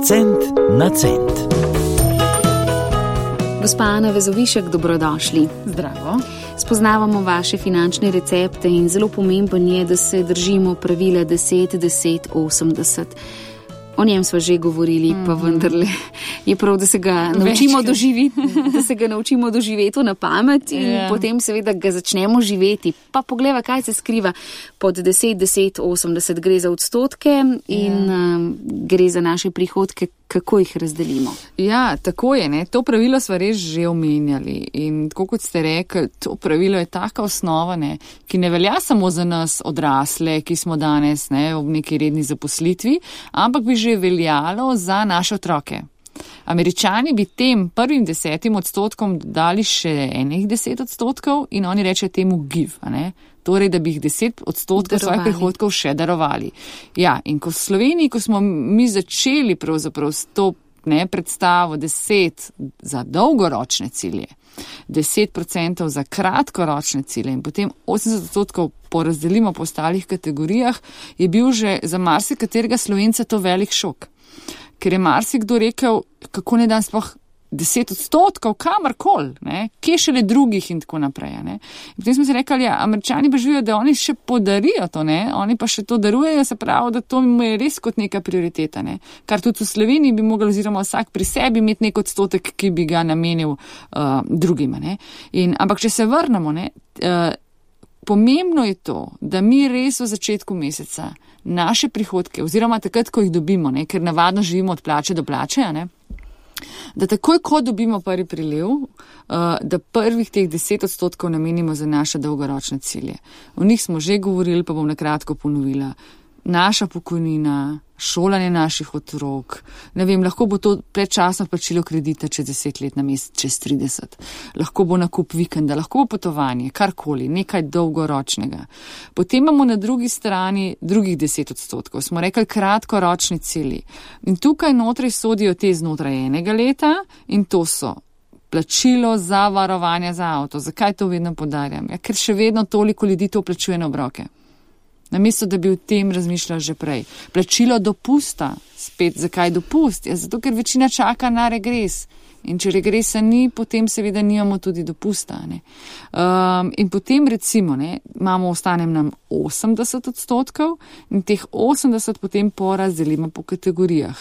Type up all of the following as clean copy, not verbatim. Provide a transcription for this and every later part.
Cent na cent. Gospa Ana Vezovišek, dobrodošli. Zdravo. Spoznavamo vaše finančne recepte in zelo pomemben je, da se držimo pravila 10-10-80. O njem smo že govorili, pa vendarle je prav, da se ga naučimo doživeti, na pamet in potem seveda ga začnemo živeti. Pa pogleda, kaj se skriva pod 10-10-80. Gre za odstotke in gre za naše prihodke, kako jih razdelimo. Ja, tako je, ne. To pravilo smo res že omenjali in tako kot ste rekli, to pravilo je taka osnova, ne, ki ne velja samo za nas odrasle, ki smo danes v neki redni zaposlitvi, ampak bi že veljalo za naše otroke. Američani bi tem prvim 10% dali še enih 10% in oni reče temu give, ne. Torej, da bi jih 10% svojih prihodkov še darovali. Ja, in ko v Sloveniji, ko smo mi začeli pravzaprav s to predstavo 10 za dolgoročne cilje, 10% za kratkoročne cilje in potem 80% porazdelimo po ostalih kategorijah, je bil že za marsikaterega Slovenca to velik šok. Ker je marsikdo rekel, kako ne dan sploh 10% kamarkoli, kje šele drugih in tako naprej. In potem smo si rekli, Američani pa živijo, da oni še podarijo to, oni pa še to darujejo, se pravi, da to je res kot neka prioriteta. Kar tudi v Sloveniji bi mogli oziroma vsak pri sebi imeti nek odstotek, ki bi ga namenil drugima. Ampak če se vrnemo, pomembno je to, da mi res v začetku meseca naše prihodke, oziroma takrat, ko jih dobimo, ker navadno živimo od plače do plače, da takoj, ko dobimo prvi priliv, da prvih teh 10% namenimo za naše dolgoročne cilje. O njih smo že govorili, pa bom na kratko ponovila. Naša pokojnina, šolanje naših otrok, lahko bo to predčasno plačilo kredita čez 10 let na mesec, čez 30. Lahko bo nakup vikenda, lahko bo potovanje, karkoli, nekaj dolgoročnega. Potem imamo na drugi strani drugih 10%. Smo rekli kratkoročni cilji. In tukaj notri sodijo te znotraj enega leta in to so plačilo za varovanje za avto. Zakaj to vedno podarjam? Ker še vedno toliko ljudi to plačuje na obroke. Namesto, da bi o tem razmišljali že prej. Plačilo dopusta. Spet, zakaj dopust? Zato, ker večina čaka na regres. In če regresa ni, potem seveda nimamo tudi dopusta. In potem recimo, ostane nam 80% in teh 80% potem porazdelimo po kategorijah.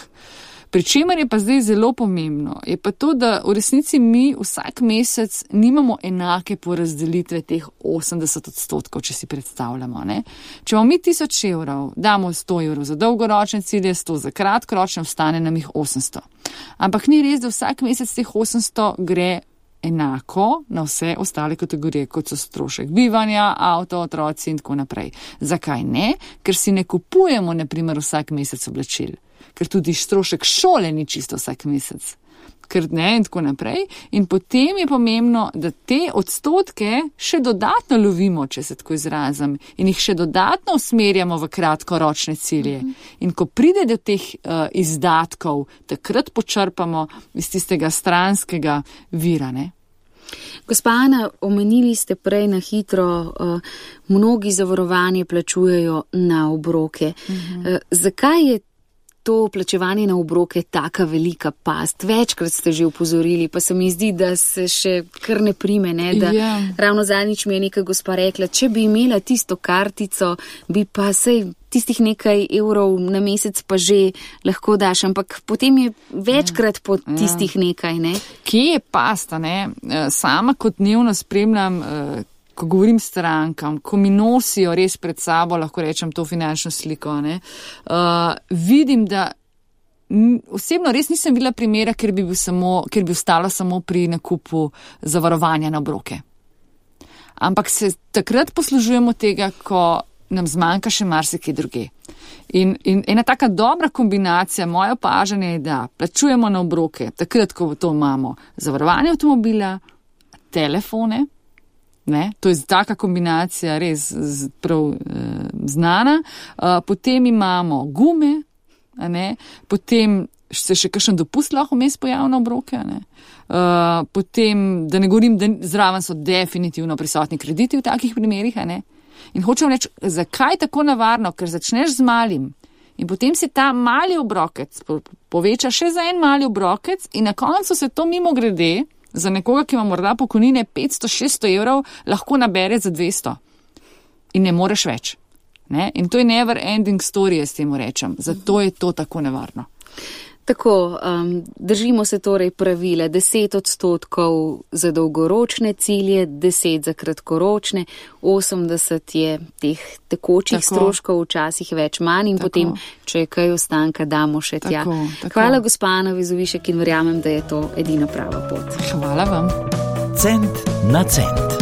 Pričemer je pa zdaj zelo pomembno, je pa to, da v resnici mi vsak mesec nimamo enake porazdelitve teh 80%, če si predstavljamo. Če imamo mi 1000 evrov, damo 100 evrov za dolgoročne cilje, 100 za kratkoročne, ostane nam jih 800. Ampak ni res, da vsak mesec teh 800 gre enako na vse ostale kategorije, kot so strošek bivanja, avto, otroci in tako naprej. Zakaj ne? Ker si ne kupujemo, na primer, vsak mesec oblačil. Ker tudi strošek šole ni čisto vsak mesec. In tako naprej. In potem je pomembno, da te odstotke še dodatno lovimo, če se tako izrazim, in jih še dodatno usmerjamo v kratkoročne cilje. In ko pride do teh izdatkov, takrat počrpamo iz tistega stranskega vira. Gospa Ana, omenili ste prej na hitro, mnogi zavarovanje plačujejo na obroke. Zakaj je to plačevanje na obroke taka velika past? Večkrat ste že upozorili, pa se mi zdi, da se še kar ne prime, Ravno zadnjič mi je neka gospa rekla, če bi imela tisto kartico, bi pa sej tistih nekaj evrov na mesec pa že lahko daš, ampak potem je večkrat po tistih nekaj, Kje je pasta, Sama kot dnevno spremljam, ko govorim strankam, ko mi nosijo res pred sabo, lahko rečem, to finančno sliko, vidim, da osebno res nisem bila primera, ker bi ostala samo pri nakupu zavarovanja na obroke. Ampak se takrat poslužujemo tega, ko nam zmanjka še marsikaj druge. In ena taka dobra kombinacija, moje opažanje je, da plačujemo na obroke, takrat, ko to imamo zavarovanje avtomobila, telefone, to je taka kombinacija res prav znana. Potem imamo gume, potem se še kakšen dopust lahko vmes pojavi na obroke. Potem, da ne govorim, da zraven so definitivno prisotni krediti v takih primerih. In hočem reči, zakaj tako nevarno? Ker začneš z malim In potem si ta mali obrokec poveča še za en mali obrokec in na koncu se to mimo grede za nekoga, ki ima morda pokojnine 500-600 evrov, lahko nabere za 200. In ne moreš več. Ne? In to je never ending story, jaz temu rečem. Zato je to tako nevarno. Tako, držimo se torej pravile 10% za dolgoročne cilje, 10% za kratkoročne, 80% je teh tekočih stroškov, včasih več manj in potem, če je kaj ostanka, damo še tja. Hvala gospa Ana Vezovišek in verjamem, da je to edina prava pot. Hvala vam. Cent na cent.